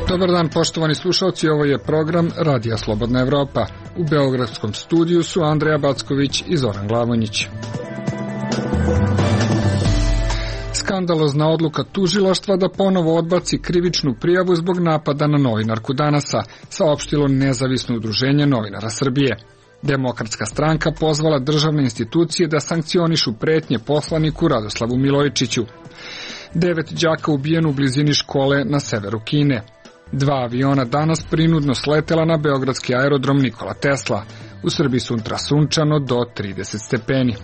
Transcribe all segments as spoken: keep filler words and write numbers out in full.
Dobar dan, poštovani slušalci, ovo je program Radija Slobodna Evropa. U beogradskom studiju su Andreja Backović i Zoran Glavonjić. Skandalozna odluka tužilaštva da ponovo odbaci krivičnu prijavu zbog napada na novinarku Danasa, saopštilo Nezavisno udruženje novinara Srbije. Demokratska stranka pozvala državne institucije da sankcionišu pretnje poslaniku Radoslavu Milojičiću. Devet đaka ubijeno u blizini škole na severu Kine. Dva aviona danas prinudno sletela na beogradski aerodrom Nikola Tesla. U Srbiji sutra sunčano do trideset stepeni.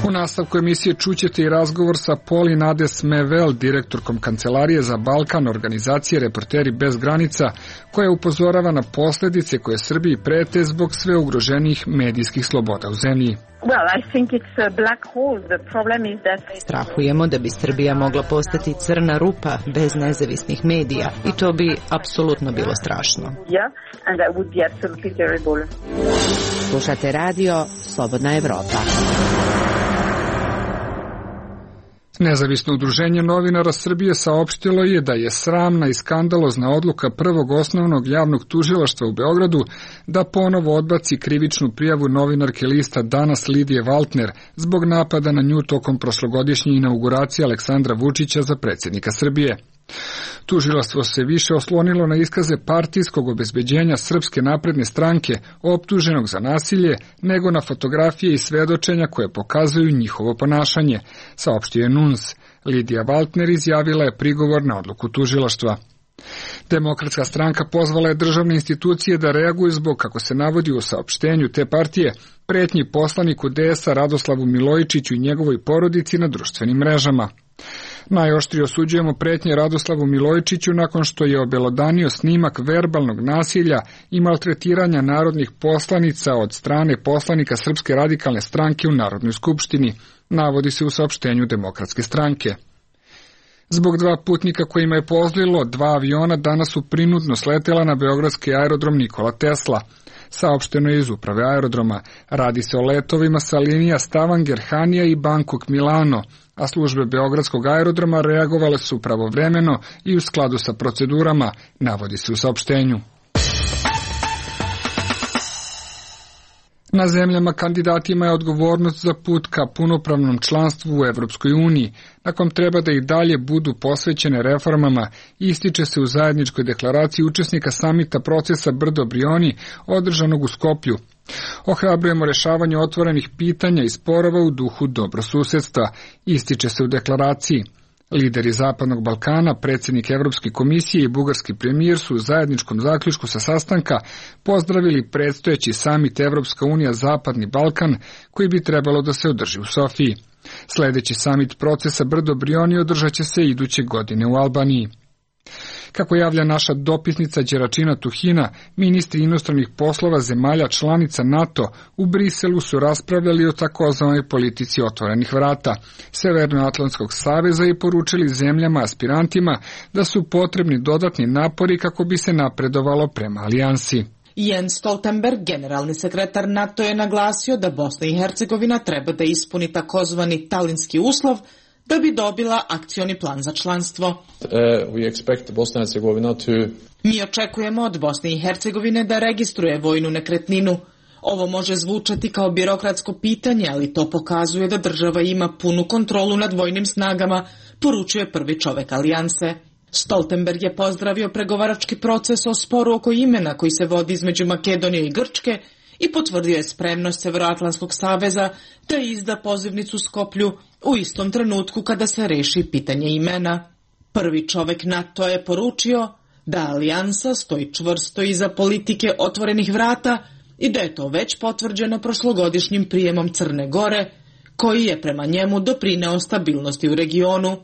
U nastavku emisije čućete i razgovor sa Poli Nades Mevel, direktorkom Kancelarije za Balkan organizacije Reporteri bez granica, koja upozorava na posljedice koje Srbiji prete zbog sve ugroženijih medijskih sloboda u zemlji. Strahujemo da bi Srbija mogla postati crna rupa bez nezavisnih medija i to bi apsolutno bilo strašno. Slušate radio Slobodna Evropa. Nezavisno udruženje novinara Srbije saopštilo je da je sramna i skandalozna odluka prvog osnovnog javnog tužilaštva u Beogradu da ponovo odbaci krivičnu prijavu novinarke lista Danas Lidije Valtner zbog napada na nju tokom prošlogodišnje inauguracije Aleksandra Vučića za predsjednika Srbije. Tužilaštvo se više oslonilo na iskaze partijskog obezbeđenja Srpske napredne stranke optuženog za nasilje nego na fotografije i svedočenja koje pokazuju njihovo ponašanje, saopštio je N U N S. Lidija Valtner izjavila je prigovor na odluku tužilaštva. Demokratska stranka pozvala je državne institucije da reaguju zbog, kako se navodi u saopštenju te partije, pretnji poslaniku D S-a Radoslavu Milojičiću i njegovoj porodici na društvenim mrežama. Najoštrije osuđujemo pretnje Radoslavu Milojičiću nakon što je obelodanio snimak verbalnog nasilja i maltretiranja narodnih poslanica od strane poslanika Srpske radikalne stranke u Narodnoj skupštini, navodi se u saopštenju Demokratske stranke. Zbog dva putnika kojima je pozlilo, dva aviona danas su prinudno sletela na beogradski aerodrom Nikola Tesla. Saopšteno je iz uprave aerodroma. Radi se o letovima sa linija Stavanger, Hanija i Bangkok Milano, a službe beogradskog aerodroma reagovale su pravovremeno i u skladu sa procedurama, navodi se u saopštenju. Na zemljama kandidatima je odgovornost za put ka punopravnom članstvu u Evropskoj uniji, na kom treba da i dalje budu posvećene reformama, ističe se u zajedničkoj deklaraciji učesnika samita procesa Brdo-Brioni održanog u Skoplju. Ohrabrujemo rešavanje otvorenih pitanja i sporova u duhu dobrosusedstva, ističe se u deklaraciji. Lideri Zapadnog Balkana, predsjednik Evropske komisije i bugarski premijer su u zajedničkom zaključku sa sastanka pozdravili predstojeći samit Evropska unija Zapadni Balkan, koji bi trebalo da se održi u Sofiji. Sljedeći samit procesa Brdo-Brioni održat će se iduće godine u Albaniji. Kako javlja naša dopisnica Đeračina Tuhina, ministri inostranih poslova zemalja članica NATO u Briselu su raspravljali o takozvanoj politici otvorenih vrata Severnoatlantskog saveza i poručili zemljama aspirantima da su potrebni dodatni napori kako bi se napredovalo prema alijansi. Jens Stoltenberg, generalni sekretar NATO, je naglasio da Bosna i Hercegovina treba da ispuni takozvani talinski uslov da bi dobila akcioni plan za članstvo. Uh, we expect Bosna and Herzegovina to... Mi očekujemo od Bosne i Hercegovine da registruje vojnu nekretninu. Ovo može zvučati kao birokratsko pitanje, ali to pokazuje da država ima punu kontrolu nad vojnim snagama, poručuje prvi čovek alijanse. Stoltenberg je pozdravio pregovarački proces o sporu oko imena koji se vodi između Makedonije i Grčke i potvrdio je spremnost Severoatlantskog saveza da izda pozivnicu Skoplju u istom trenutku kada se reši pitanje imena. Prvi čovek NATO je poručio da alijansa stoji čvrsto iza politike otvorenih vrata i da je to već potvrđeno prošlogodišnjim prijemom Crne Gore, koji je prema njemu doprineo stabilnosti u regionu.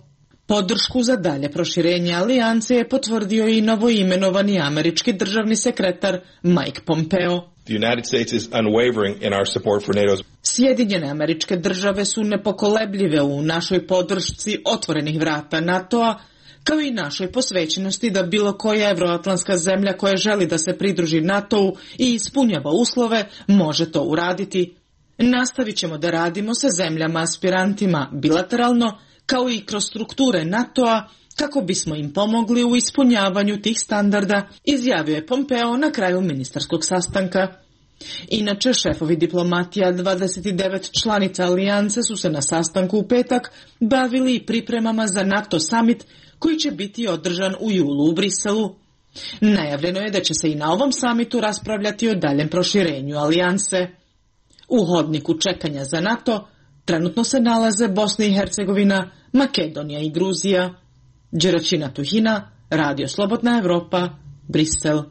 Podršku za dalje proširenje alijanse je potvrdio i novoimenovani američki državni sekretar Mike Pompeo. The United States is unwavering in our support for NATO's. Sjedinjene Američke Države su nepokolebljive u našoj podršci otvorenih vrata NATO-a, kao i našoj posvećenosti da bilo koja evroatlantska zemlja koja želi da se pridruži NATO-u i ispunjava uslove može to uraditi. Nastavit ćemo da radimo sa zemljama aspirantima bilateralno, kao i kroz strukture NATO-a, kako bismo im pomogli u ispunjavanju tih standarda, izjavio je Pompeo na kraju ministarskog sastanka. Inače, šefovi diplomatija dvadeset devet članica alijance su se na sastanku u petak bavili i pripremama za NATO summit koji će biti održan u julu u Briselu. Najavljeno je da će se i na ovom samitu raspravljati o daljem proširenju alijanse. U hodniku čekanja za NATO trenutno se nalaze Bosna i Hercegovina, Makedonija i Gruzija. Đeračina Tuhina, Radio Slobodna Evropa, Brisel.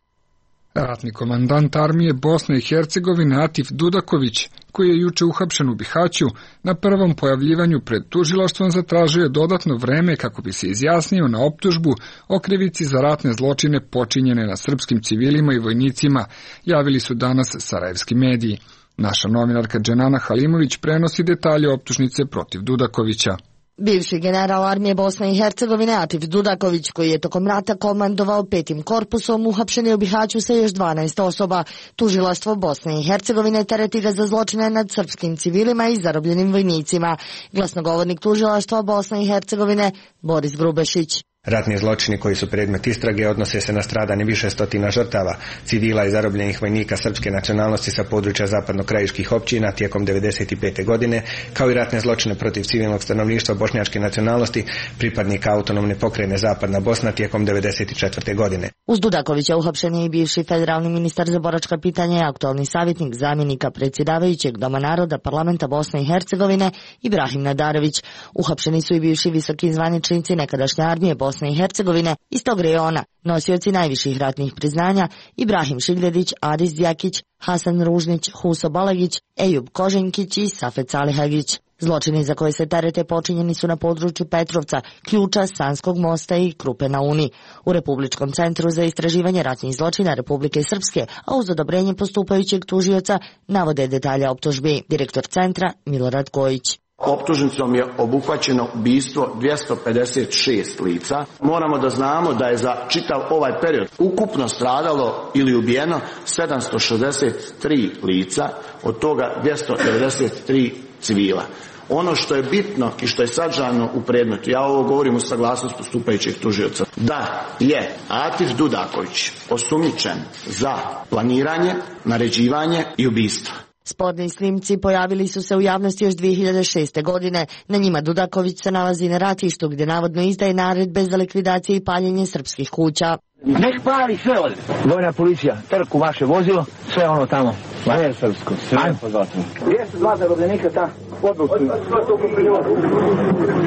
Ratni komandant armije Bosne i Hercegovine Atif Dudaković, koji je juče uhapšen u Bihaću, na prvom pojavljivanju pred tužilaštvom zatražio je dodatno vreme kako bi se izjasnio na optužbu o krivici za ratne zločine počinjene na srpskim civilima i vojnicima, javili su danas sarajevski mediji. Naša novinarka Dženana Halimović prenosi detalje optužnice protiv Dudakovića. Bivši general armije Bosne i Hercegovine Atif Dudaković, koji je tokom rata komandovao petim korpusom, uhapšen je u Bihaću sa još dvanaest osoba. Tužilaštvo Bosne i Hercegovine tereti ga za zločine nad srpskim civilima i zarobljenim vojnicima. Glasnogovornik tužilaštva Bosne i Hercegovine Boris Grubešić. Ratni zločini koji su predmet istrage odnose se na stradanje više stotina žrtava, civila i zarobljenih vojnika srpske nacionalnosti sa područja zapadno-krajiških općina tijekom devedeset pete godine, kao i ratne zločine protiv civilnog stanovništva bošnjačke nacionalnosti, pripadnika autonomne pokrajine Zapadna Bosna tijekom devedeset četvrte godine. Uz Dudakovića uhapšen je i bivši federalni ministar za boračka pitanja i aktualni savjetnik zamjenika predsjedavajućeg Doma naroda Parlamenta Bosne i Hercegovine Ibrahim Nadarević. Uhapšeni su i bivši visoki zvaničnici nekadašnje armije Bosne i Hercegovine iz tog rejona, nosioci najviših ratnih priznanja Ibrahim Šigdedić, Adis Djakić, Hasan Ružnić, Huso Balagić, Ejub Koženkić i Safet Salihagić. Zločini za koje se terete počinjeni su na području Petrovca, Ključa, Sanskog mosta i Krupe na Uni. U Republičkom centru za istraživanje ratnih zločina Republike Srpske, a uz odobrenje postupajućeg tužioca, navode detalje optužbi. Direktor centra Milorad Kojić. Optužnicom je obuhvaćeno ubistvo dvjesto pedeset šest lica. Moramo da znamo da je za čitav ovaj period ukupno stradalo ili ubijeno sedamsto šezdeset tri lica, od toga dvjesto devedeset tri civila. Ono što je bitno i što je sadržano u predmetu, ja ovo govorim u saglasnost postupajućeg tužioca, da je Atif Dudaković osumnjičen za planiranje, naređivanje i ubistvo. Sporni snimci pojavili su se u javnosti još dvije hiljade šeste. godine. Na njima Dudaković se nalazi na ratištu gdje navodno izdaje naredbe za likvidaciju i paljenje srpskih kuća. Nek pali sve ovdje. Vojna policija, trku vaše vozilo, sve ono tamo. Vajer srpsko, sve pozvatno. Gdje su dva zarobljenika ta? Odlučuju.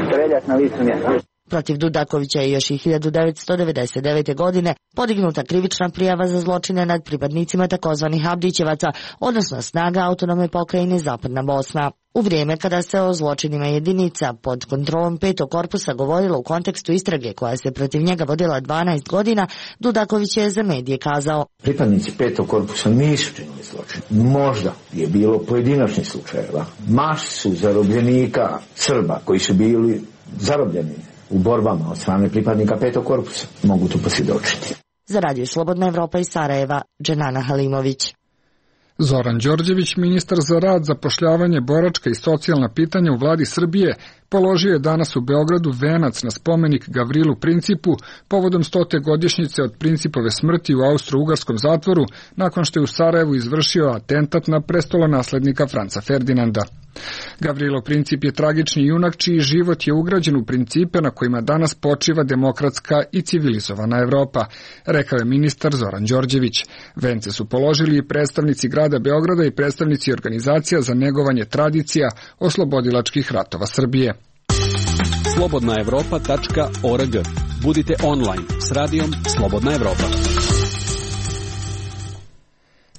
Streljat na licu mjesta. Protiv Dudakovića je još i hiljadu devetsto devedeset devete. godine podignuta krivična prijava za zločine nad pripadnicima takozvanih Abdićevaca, odnosno snaga autonomne pokrajine Zapadna Bosna. U vrijeme kada se o zločinima jedinica pod kontrolom petog korpusa govorilo u kontekstu istrage koja se protiv njega vodila dvanaest godina, Dudaković je za medije kazao: pripadnici petog korpusa nisu činili zločin. Možda je bilo pojedinačnih slučajeva. Maš su zarobljenika Srba koji su bili zarobljeni u borbama od strane pripadnika petog korpusa. Mogu to posvjedočiti. Za Radio Slobodna Evropa iz Sarajeva, Dženana Halimović. Zoran Đorđević, ministar za rad, zapošljavanje, boračka i socijalna pitanja u vladi Srbije, položio je danas u Beogradu venac na spomenik Gavrilu Principu povodom stote godišnjice od Principove smrti u austro-ugarskom zatvoru nakon što je u Sarajevu izvršio atentat na prestolonaslednika Franca Ferdinanda. Gavrilo Princip je tragični junak čiji život je ugrađen u principe na kojima danas počiva demokratska i civilizovana Evropa, rekao je ministar Zoran Đorđević. Vence su položili i predstavnici grada Beograda i predstavnici organizacija za negovanje tradicija oslobodilačkih ratova Srbije. slobodna evropa tačka org. Budite online s radijom Slobodna Evropa.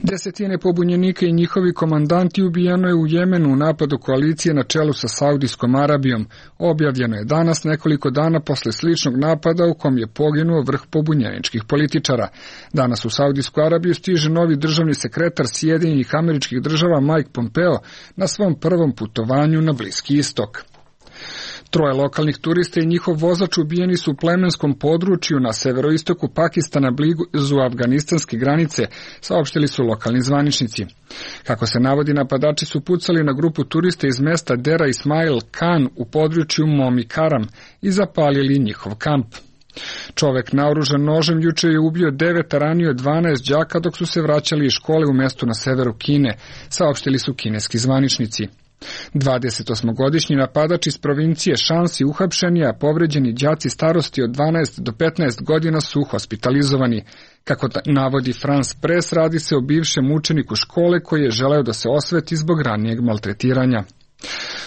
Desetine pobunjenika i njihovi komandanti ubijeno je u Jemenu u napadu koalicije na čelu sa Saudijskom Arabijom. Objavljeno je danas nekoliko dana posle sličnog napada u kom je poginuo vrh pobunjeničkih političara. Danas u Saudijsku Arabiju stiže novi državni sekretar Sjedinjenih Američkih Država Mike Pompeo na svom prvom putovanju na Bliski istok. Troje lokalnih turista i njihov vozač ubijeni su u plemenskom području na severoistoku Pakistana blizu afganistanske granice, saopštili su lokalni zvaničnici. Kako se navodi, napadači su pucali na grupu turista iz mesta Dera Ismail Khan u području Momi Karam i zapalili njihov kamp. Čovek naoružan nožem juče je ubio devet, a ranio dvanaest đaka dok su se vraćali iz škole u mestu na severu Kine, saopštili su kineski zvaničnici. dvadesetosmogodišnji napadač iz provincije Šansi uhapšen je, a povređeni đaci starosti od dvanaest do petnaest godina su hospitalizovani. Kako navodi France Press, radi se o bivšem učeniku škole koji je želeo da se osveti zbog ranijeg maltretiranja.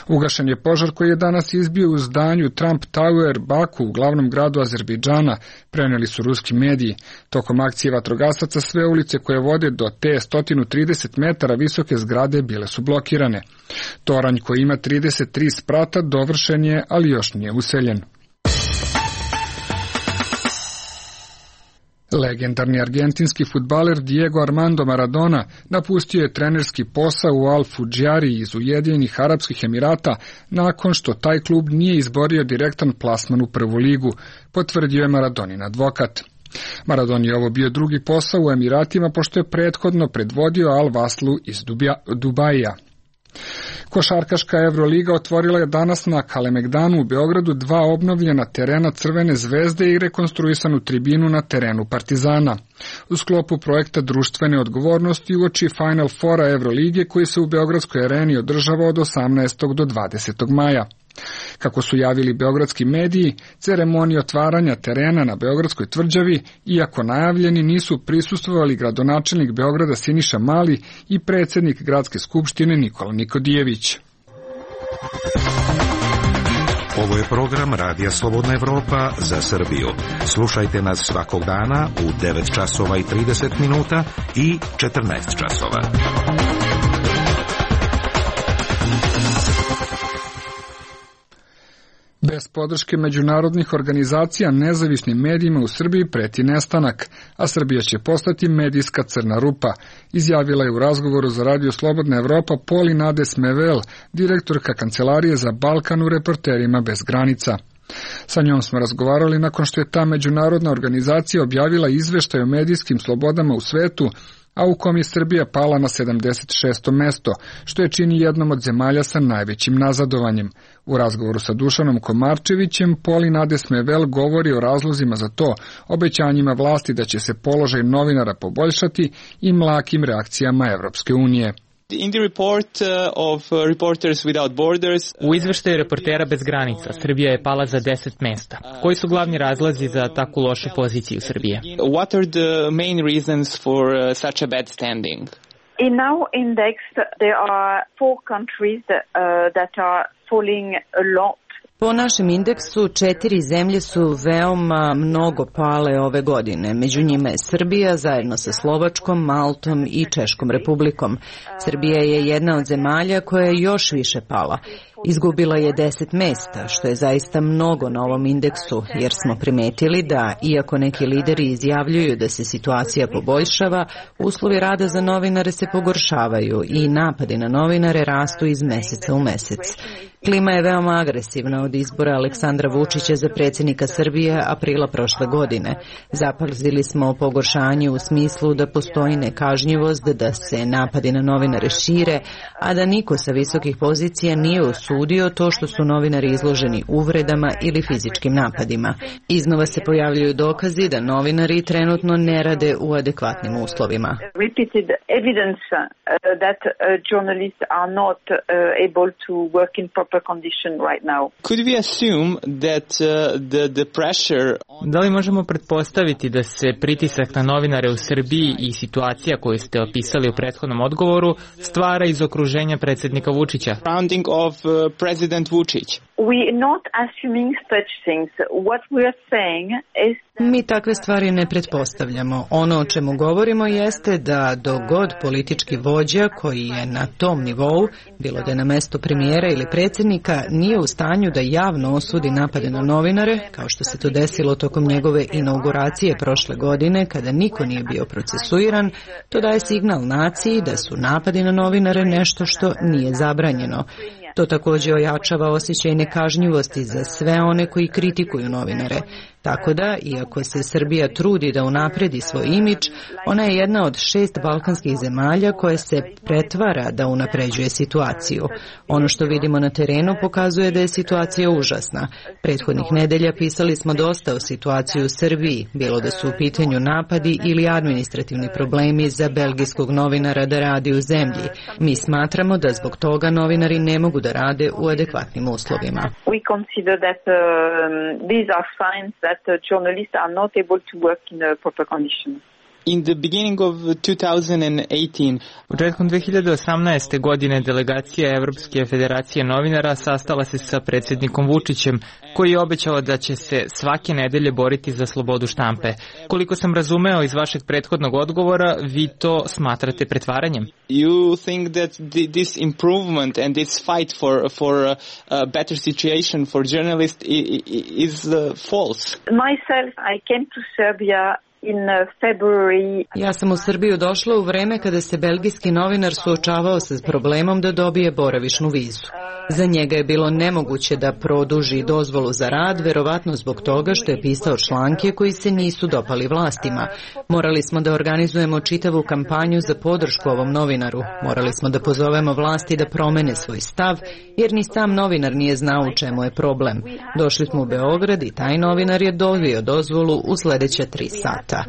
Ugašen je požar koji je danas izbio u zdanju Trump Tower Baku u glavnom gradu Azerbejdžana, preneli su ruski mediji. Tokom akcije vatrogasaca sve ulice koje vode do te sto trideset metara visoke zgrade bile su blokirane. Toranj koji ima trideset tri sprata dovršen je, ali još nije useljen. Legendarni argentinski fudbaler Diego Armando Maradona napustio je trenerski posao u Al Fudžari iz Ujedinjenih Arapskih Emirata nakon što taj klub nije izborio direktan plasman u prvu ligu, potvrdio je Maradonin advokat. Maradoni je ovo bio drugi posao u Emiratima pošto je prethodno predvodio Al Vaslu iz Dubaija. Košarkaška Evroliga otvorila je danas na Kalemegdanu u Beogradu dva obnovljena terena Crvene zvezde i rekonstruisanu tribinu na terenu Partizana. U sklopu projekta društvene odgovornosti uoči Final Fora Evrolige koji se u Beogradskoj areni održava od osamnaestog do dvadesetog maja. Kako su javili beogradski mediji, ceremoniji otvaranja terena na Beogradskoj tvrđavi, iako najavljeni, nisu prisustvovali gradonačelnik Beograda Siniša Mali i predsjednik Gradske skupštine Nikola Nikodijević. Ovo je program Radija Slobodna Evropa za Srbiju. Slušajte nas svakog dana u devet časova i trideset minuta i četrnaest časova. Bez podrške međunarodnih organizacija nezavisnim medijima u Srbiji preti nestanak, a Srbija će postati medijska crna rupa, izjavila je u razgovoru za Radio Slobodna Evropa Poli Nades Mevel, direktorka Kancelarije za Balkan u Reporterima bez granica. Sa njom smo razgovarali nakon što je ta međunarodna organizacija objavila izveštaj o medijskim slobodama u svetu, a u kom je Srbija pala na sedamdeset šesto mesto, što je čini jednom od zemalja sa najvećim nazadovanjem. U razgovoru sa Dušanom Komarčevićem, Poli Nades Mevel govori o razlozima za to, obećanjima vlasti da će se položaj novinara poboljšati i mlakim reakcijama Evropske unije. In the report of Reporters Without Borders, u izveštaju Reportera bez granica, Srbija je pala za deset mesta. Koji su glavni razlozi za takvu lošu poziciju Srbije? What are the main reasons for such a bad standing? In our index, there are four countries uh, that are falling a lot. Po našem indeksu, četiri zemlje su veoma mnogo pale ove godine. Među njima je Srbija zajedno sa Slovačkom, Maltom i Češkom republikom. Srbija je jedna od zemalja koja je još više pala. Izgubila je deset mesta, što je zaista mnogo na ovom indeksu, jer smo primetili da, iako neki lideri izjavljuju da se situacija poboljšava, uslovi rada za novinare se pogoršavaju i napadi na novinare rastu iz meseca u mesec. Klima je veoma agresivna od izbora Aleksandra Vučića za predsjednika Srbije aprila prošle godine. Zapazili smo pogoršanje u smislu da postoji nekažnjivost, da se napadi na novinare šire, a da niko sa visokih pozicija nije osudio to što su novinari izloženi uvredama ili fizičkim napadima. Iznova se pojavljuju dokazi da novinari trenutno ne rade u adekvatnim uslovima. Repeated evidence that journalists are not able to work in proper condition right now. Could we assume that uh, the the pressure Da li možemo pretpostaviti da se pritisak na novinare u Srbiji i situacija koju ste opisali u prethodnom odgovoru stvara iz okruženja predsjednika Vučića? Surrounding of uh, President Vučić. We not assuming such things. What we are saying is Mi takve stvari ne pretpostavljamo. Ono o čemu govorimo jeste da dogod politički vođa koji je na tom nivou, bilo da je na mesto premijera ili predsjednika, nije u stanju da javno osudi napade na novinare, kao što se to desilo tokom njegove inauguracije prošle godine, kada niko nije bio procesuiran, to daje signal naciji da su napadi na novinare nešto što nije zabranjeno. To također ojačava osjećaj nekažnjivosti za sve one koji kritikuju novinare. Tako da, iako se Srbija trudi da unapredi svoj imidž, ona je jedna od šest balkanskih zemalja koja se pretvara da unapređuje situaciju. Ono što vidimo na terenu pokazuje da je situacija užasna. Prethodnih nedelja pisali smo dosta o situaciji u Srbiji, bilo da su u pitanju napadi ili administrativni problemi za belgijskog novinara da radi u zemlji. Mi smatramo da zbog toga novinari ne mogu da rade u adekvatnim uslovima. We consider that um, these are signs that that journalists are not able to work in a proper condition. In the beginning of twenty eighteen, početkom dve hiljade osamnaeste. godine delegacija Evropske federacije novinara sastala se sa predsjednikom Vučićem, koji je obećao da će se svake nedelje boriti za slobodu štampe. Koliko sam razumeo iz vašeg prethodnog odgovora, vi to smatrate pretvaranjem? You think that this improvement and this fight for for a better situation for journalists is false? Myself, I came to Serbia in February. Ja sam u Srbiju došla u vreme kada se belgijski novinar suočavao sa problemom da dobije boravišnu vizu. Za njega je bilo nemoguće da produži dozvolu za rad, verovatno zbog toga što je pisao članke koji se nisu dopali vlastima. Morali smo da organizujemo čitavu kampanju za podršku ovom novinaru. Morali smo da pozovemo vlasti da promene svoj stav, jer ni sam novinar nije znao u čemu je problem. Došli smo u Beograd i taj novinar je dobio dozvolu u sledeća tri sata.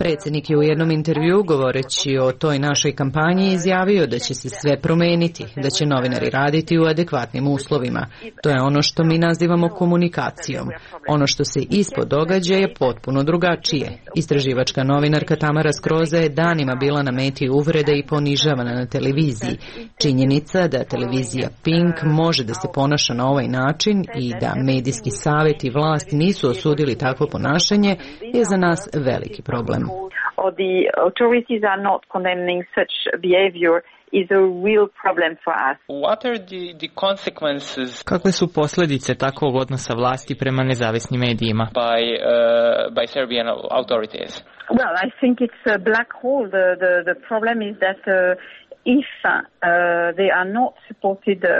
Predsjednik je u jednom intervju, govoreći o toj našoj kampanji, izjavio da će se sve promeniti, da će novinari raditi u adekvatnim uslovima. To je ono što mi nazivamo komunikacijom. Ono što se ispod događa je potpuno drugačije. Istraživačka novinarka Tamara Skroza je danima bila na meti uvrede i ponižavana na televiziji. Činjenica da televizija Pink može da se ponaša na ovaj način i da medijski savjet i vlast nisu osudili takvo ponašanje je za nas veliki problem. Or the authorities are not condemning such behavior is a real problem for us. What are the, the consequences? Kakve su posljedice takvog odnosa vlasti prema nezavisnim medijima? By, uh, by Serbian authorities? Well, I think it's a black hole. The, the, the problem is that uh, if uh, they are not supported uh,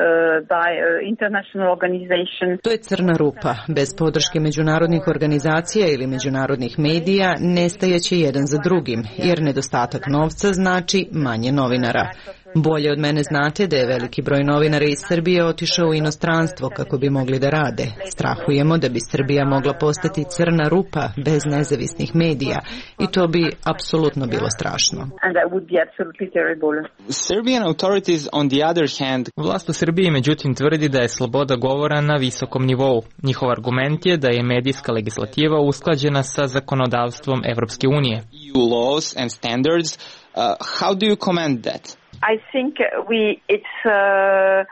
by uh, international organizations. To je crna rupa. Bez podrške međunarodnih organizacija ili međunarodnih medija nestajaće jedan za drugim, jer nedostatak novca znači manje novinara. Bolje od mene znate da je veliki broj novinara iz Srbije otišao u inostranstvo kako bi mogli da rade. Strahujemo da bi Srbija mogla postati crna rupa bez nezavisnih medija i to bi apsolutno bilo strašno. And that would be absolutely terrible. Serbian authorities on the other hand, vlast u Srbiji međutim tvrdi da je sloboda govora na visokom nivou. Njihov argument je da je medijska legislativa usklađena sa zakonodavstvom Evropske unije. E U laws and standards, uh, how do you comment that? I think we it's uh,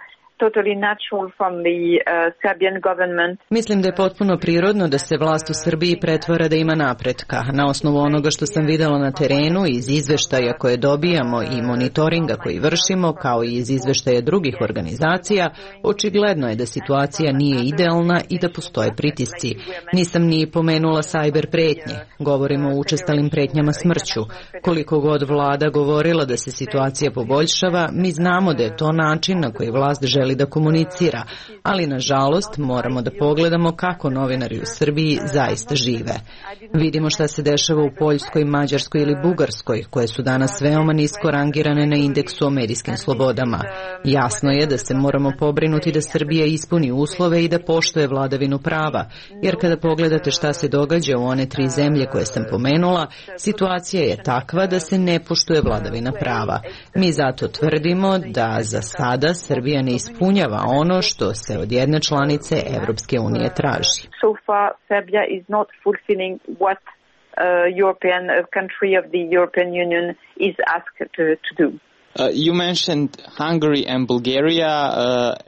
totally natural from the uh, Serbian government. Mislim da je potpuno prirodno da se vlast u Srbiji pretvara da ima napretka. Na osnovu onoga što sam videla na terenu, iz izveštaja koje dobijamo i monitoringa koji vršimo, kao i iz izveštaja drugih organizacija, očigledno je da situacija nije idealna i da postoje pritisci. Nisam ni pomenula sajber pretnje. Govorimo o učestalim pretnjama smrću. Koliko god vlada govorila da se situacija poboljšava, mi znamo da je to način na koji vlast želi da komunicira, ali nažalost moramo da pogledamo kako novinari u Srbiji zaista žive. Vidimo šta se dešava u Poljskoj, Mađarskoj ili Bugarskoj, koje su danas veoma nisko rangirane na indeksu o medijskim slobodama. Jasno je da se moramo pobrinuti da Srbija ispuni uslove i da poštuje vladavinu prava, jer kada pogledate šta se događa u one tri zemlje koje sam pomenula, situacija je takva da se ne poštuje vladavina prava. Mi zato tvrdimo da za sada Srbija ne ispunjava ono što se od jedne članice Evropske unije traži. So far, Serbia is not fulfilling what uh, European country of the European Union is asked to, to do. Uh, you mentioned Hungary and Bulgaria. Uh,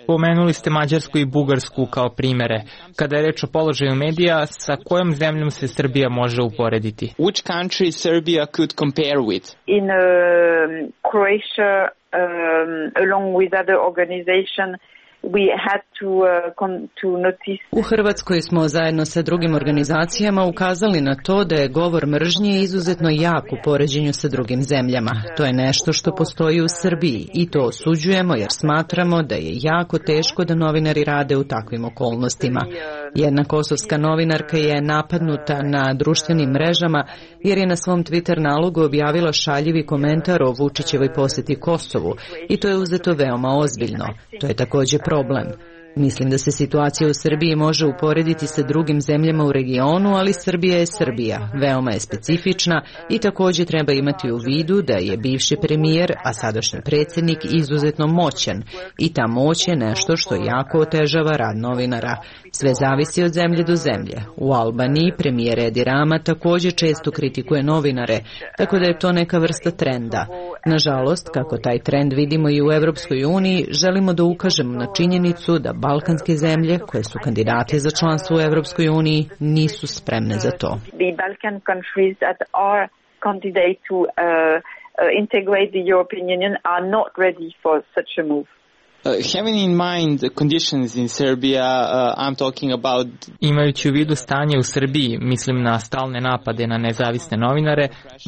Pomenuli ste Mađarsku i Bugarsku kao primere. Kada je reč o položaju medija, sa kojom zemljom se Srbija može uporediti? Which country Serbia could compare with? In uh, Croatia, um, along with other organizations, U Hrvatskoj smo zajedno sa drugim organizacijama ukazali na to da je govor mržnje izuzetno jak u poređenju sa drugim zemljama. To je nešto što postoji u Srbiji i to osuđujemo jer smatramo da je jako teško da novinari rade u takvim okolnostima. Jedna kosovska novinarka je napadnuta na društvenim mrežama jer je na svom Twitter nalogu objavila šaljivi komentar o Vučićevoj poseti Kosovu i to je uzeto veoma ozbiljno. To je također problem. Mislim da se situacija u Srbiji može uporediti sa drugim zemljama u regionu, ali Srbija je Srbija, veoma je specifična i također treba imati u vidu da je bivši premijer, a sadašnji predsjednik izuzetno moćan i ta moć je nešto što jako otežava rad novinara. Sve zavisi od zemlje do zemlje. U Albaniji premijer Edi Rama također često kritikuje novinare, tako da je to neka vrsta trenda. Nažalost, kako taj trend vidimo i u Europskoj uniji, želimo da ukažemo na činjenicu da balkanske zemlje, koje su kandidate za članstvo u Europskoj uniji, nisu spremne za to. The Balkan countries that are candidate to uh, uh, integrate the European Union are not ready for such a move. Uh, having in mind the conditions in Serbia, uh, I'm talking about... Imajući u vidu stanje u Srbiji, mislim na stalne napade na nezavisne novinare,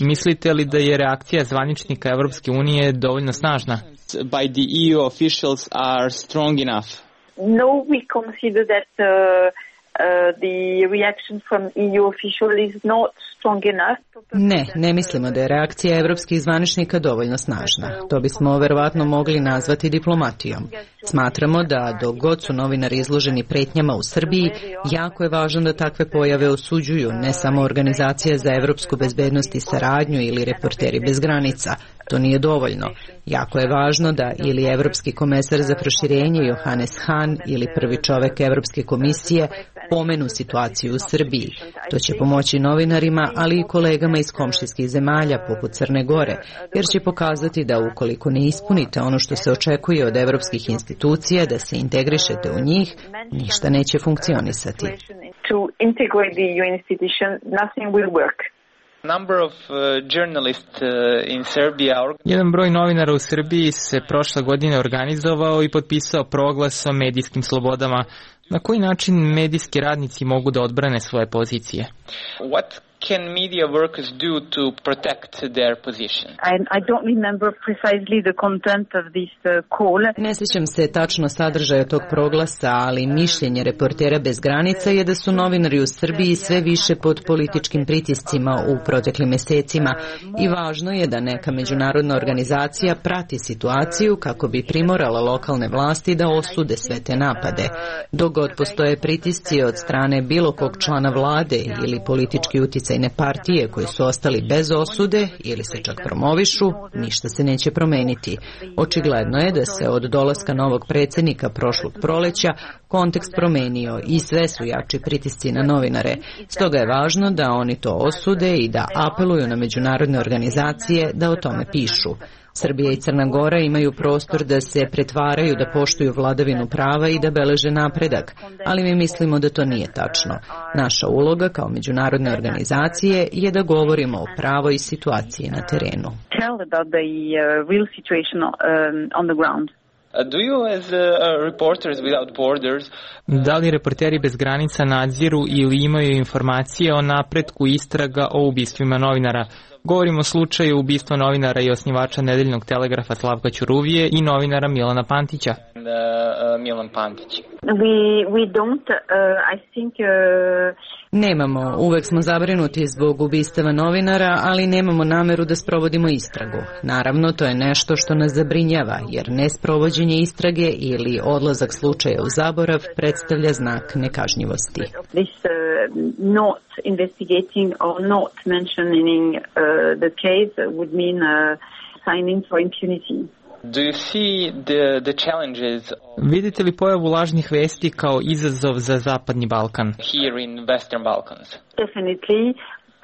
mislite li da je reakcija zvaničnika Evropske unije dovoljno snažna? By the E U officials are strong enough. No, we consider that uh, uh, the reaction from E U official is not strong enough. Ne, ne mislimo da je reakcija evropskih zvaničnika dovoljno snažna. To bismo verovatno mogli nazvati diplomatijom. Smatramo da dok god su novinari izloženi pretnjama u Srbiji, jako je važno da takve pojave osuđuju ne samo Organizacija za evropsku bezbednost i saradnju ili Reporteri bez granica. To nije dovoljno. Jako je važno da ili Evropski komesar za proširenje Johannes Hahn ili prvi čovek Evropske komisije pomenu situaciju u Srbiji. To će pomoći novinarima, ali i kolegama iz komšijskih zemalja poput Crne Gore, jer će pokazati da ukoliko ne ispunite ono što se očekuje od evropskih institucija da se integrišete u njih, ništa neće funkcionisati. To integrate the E U institution, nothing will work. Number of uh, journalists uh, in Serbia. Jedan broj novinara u Srbiji se prošle godine organizovao i potpisao proglas o medijskim slobodama. Na koji način medijski radnici mogu da odbrane svoje pozicije? What can media workers do to protect their position? I, I don't remember precisely the content of this uh, call. Ne sjećam se tačno sadržaja tog proglasa, ali mišljenje Reportera bez granica je da su novinari u Srbiji sve više pod političkim pritiscima u proteklim mesecima i važno je da neka međunarodna organizacija prati situaciju kako bi primorala lokalne vlasti da osude sve te napade. Dok god postoje pritisci od strane bilo kog člana vlade ili politički uticaj partije koji su ostali bez osude ili se čak promovišu, ništa se neće promeniti. Očigledno je da se od dolaska novog predsjednika prošlog proleća kontekst promenio i sve su jači pritisci na novinare. Stoga je važno da oni to osude i da apeluju na međunarodne organizacije da o tome pišu. Srbija i Crna Gora imaju prostor da se pretvaraju da poštuju vladavinu prava i da beleže napredak, ali mi mislimo da to nije tačno. Naša uloga kao međunarodne organizacije je da govorimo o pravoj situaciji na terenu. Tell about the uh, real situation um, on the ground. Do you as uh, reporters without borders? Da li Reporteri bez granica nadziru ili imaju informacije o napretku istraga o ubistvima novinara? Govorimo o slučaju ubistva novinara i osnivača Nedeljnog telegrafa Slavka Ćuruvije i novinara Milana Pantića. Uh, uh, Milan Pantić. We we don't uh, I think uh... Nemamo, uvek smo zabrinuti zbog ubistava novinara, ali nemamo nameru da sprovodimo istragu. Naravno, to je nešto što nas zabrinjava, jer nesprovođenje istrage ili odlazak slučaja u zaborav predstavlja znak nekažnjivosti. This uh, not investigating or not mentioning uh, the case would mean uh, signing for impunity. Do you see the, the challenges? Vidite li pojavu lažnih vesti kao izazov za Zapadni Balkan? Here in Western Balkans. Definitely.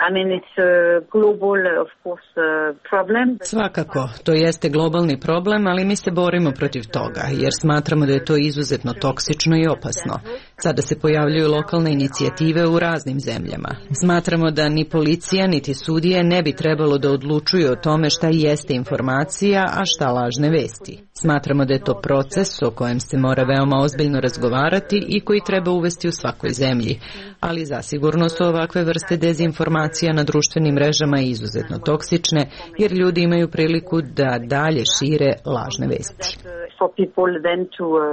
I mean, it's a global, of course, uh, problem. Svakako, to jeste globalni problem, ali mi se borimo protiv toga, jer smatramo da je to izuzetno toksično i opasno. Sada se pojavljuju lokalne inicijative u raznim zemljama. Smatramo da ni policija, niti sudije ne bi trebalo da odlučuju o tome šta jeste informacija, a šta lažne vesti. Smatramo da je to proces o kojem se mora veoma ozbiljno razgovarati i koji treba uvesti u svakoj zemlji. Ali zasigurno su ovakve vrste dezinformacija na društvenim mrežama izuzetno toksične, jer ljudi imaju priliku da dalje šire lažne vesti. For people then to uh,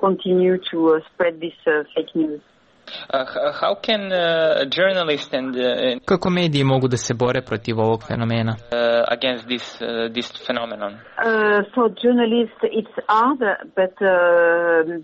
continue to uh, spread this uh, fake news. Uh, how can uh, journalists and uh, Kako mediji mogu da se bore protiv ovog fenomena? Uh, against this uh, this phenomenon? Uh, for journalists it's hard, but uh,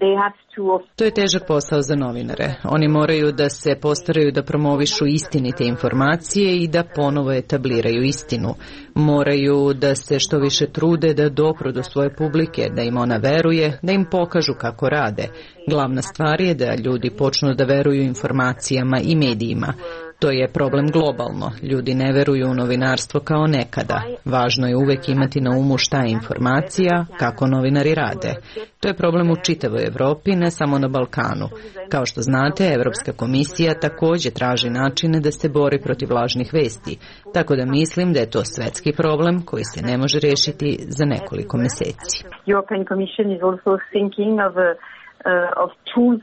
they have to. To je težak posao za novinare. Oni moraju da se postaraju da promovišu istinite informacije i da ponovo etabliraju istinu. Moraju da se što više trude da dopru do svoje publike, da im ona veruje, da im pokažu kako rade. Glavna stvar je da ljudi počnu da veruju informacijama i medijima. To je problem globalno. Ljudi ne veruju u novinarstvo kao nekada. Važno je uvek imati na umu šta je informacija, kako novinari rade. To je problem u čitavoj Evropi, ne samo na Balkanu. Kao što znate, Evropska komisija takođe traži načine da se bori protiv lažnih vesti. Tako da mislim da je to svetski problem koji se ne može rešiti za nekoliko meseci. European Commission is also thinking of a, uh, of tools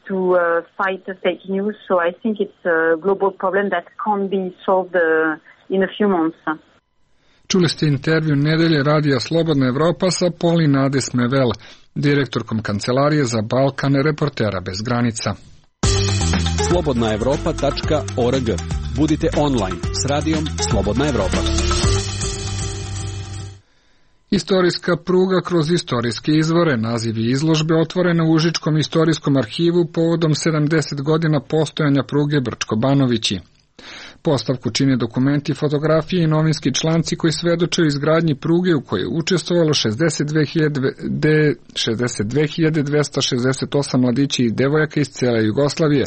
to uh, fight the fake news, so I think it's a global problem that can't be solved uh, in a few months. Čuli ste intervju Nedelje radija Slobodna Evropa sa Polin Adesmevel, direktorkom Kancelarije za Balkan Reportera bez granica. slobodna evropa tačka org. Budite online s radijom Slobodna Evropa. Istorijska pruga kroz istorijske izvore, naziv je izložbe otvorena u Užičkom istorijskom arhivu povodom sedamdeset godina postojanja pruge Brčko-Banovići. Postavku čine dokumenti, fotografije i novinski članci koji svedoče o izgradnji pruge u kojoj je učestvovalo šezdeset dve hiljade dvesta šezdeset osam mladića i devojaka iz cele Jugoslavije,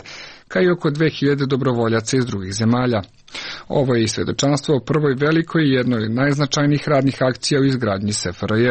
kao i oko dve hiljade dobrovoljaca iz drugih zemalja. Ovo je i svedočanstvo o prvoj velikoj i jednoj od najznačajnijih radnih akcija u izgradnji S F R J,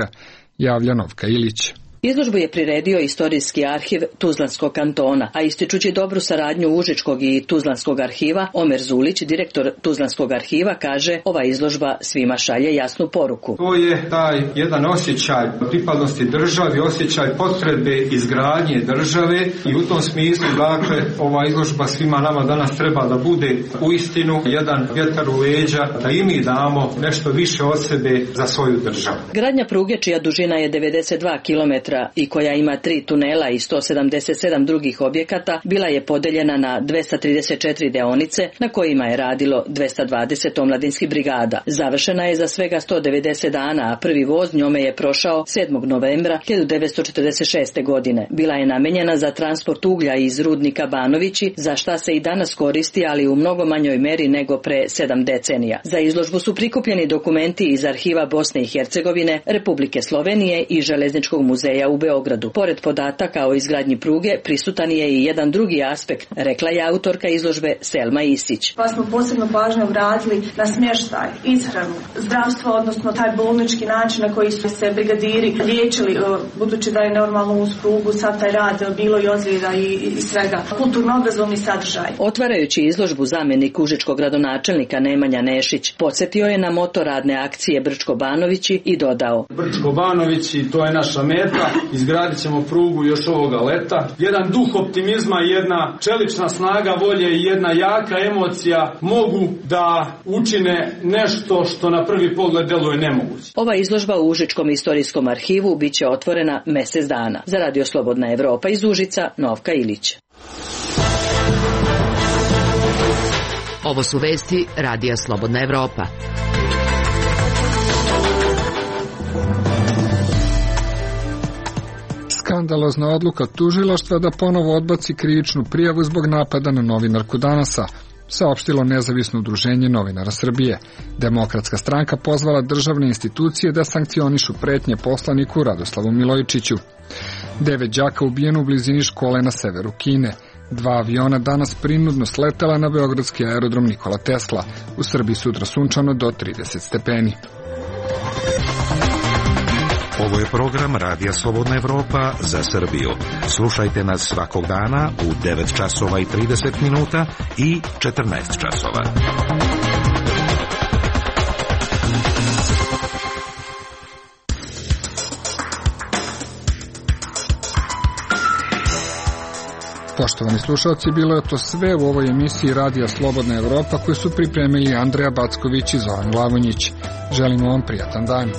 javlja Novka Ilić. Izložbu je priredio Istorijski arhiv Tuzlanskog kantona, a ističući dobru saradnju Užičkog i Tuzlanskog arhiva, Omer Zulić, direktor Tuzlanskog arhiva, kaže ova izložba svima šalje jasnu poruku. To je taj jedan osjećaj pripadnosti državi, osjećaj potrebe izgradnje države i u tom smislu, dakle, ova izložba svima nama danas treba da bude uistinu jedan vjetar u leđa, da i mi damo nešto više od sebe za svoju državu. Gradnja pruge, čija dužina je devedeset dva kilometra i koja ima tri tunela i sto sedamdeset sedam drugih objekata, bila je podeljena na dvesta trideset četiri deonice na kojima je radilo dvesta dvadeset omladinskih brigada. Završena je za svega sto devedeset dana, a prvi voz njome je prošao sedmog novembra hiljadu devetsto četrdeset šeste. godine. Bila je namenjena za transport uglja iz rudnika Banovići, za šta se i danas koristi, ali u mnogo manjoj meri nego pre sedam decenija. Za izložbu su prikupljeni dokumenti iz arhiva Bosne i Hercegovine, Republike Slovenije i Železničkog muzeja u Beogradu. Pored podataka o izgradnji pruge, prisutan je i jedan drugi aspekt, rekla je autorka izložbe Selma Isić. Pa smo posebno pažnju obratili na smještaj, ishranu, zdravstvo, odnosno taj bolnički način na koji su se brigadiri liječili, budući da je normalno uz prugu sad taj rad bilo i ozljeda i, i svega. Kulturno-obrazovni sadržaj. Otvarajući izložbu, zamjenik užičkog gradonačelnika Nemanja Nešić podsjetio je na moto radne akcije Brčko-Banovići i dodao: Brčko-Banovići, to je naša meta. Izgradit ćemo prugu još ovoga leta. Jedan duh optimizma, jedna čelična snaga volje i jedna jaka emocija mogu da učine nešto što na prvi pogled deluje nemoguće. Ova izložba u Užičkom istorijskom arhivu bit će otvorena mesec dana. Za Radio Slobodna Evropa iz Užica, Novka Ilić. Ovo su vesti Radija Slobodna Evropa. Skandalozna odluka tužilaštva da ponovo odbaci krivičnu prijavu zbog napada na novinarku Danasa, saopštilo nezavisno udruženje novinara Srbije. Demokratska stranka pozvala državne institucije da sankcionišu pretnje poslaniku Radoslavu Milojičiću. Devet đaka ubijeno u blizini škole na severu Kine. Dva aviona danas prinudno sletela na beogradski aerodrom Nikola Tesla. U Srbiji sutra sunčano do trideset stepeni. Ovo je program Radija Slobodna Evropa za Srbiju. Slušajte nas svakog dana u devet časova i trideset minuta i četrnaest časova. Poštovani slušalci, bilo je to sve u ovoj emisiji Radija Slobodna Evropa koju su pripremili Andreja Backović i Zoran Glavonjić. Želimo vam prijatan dan.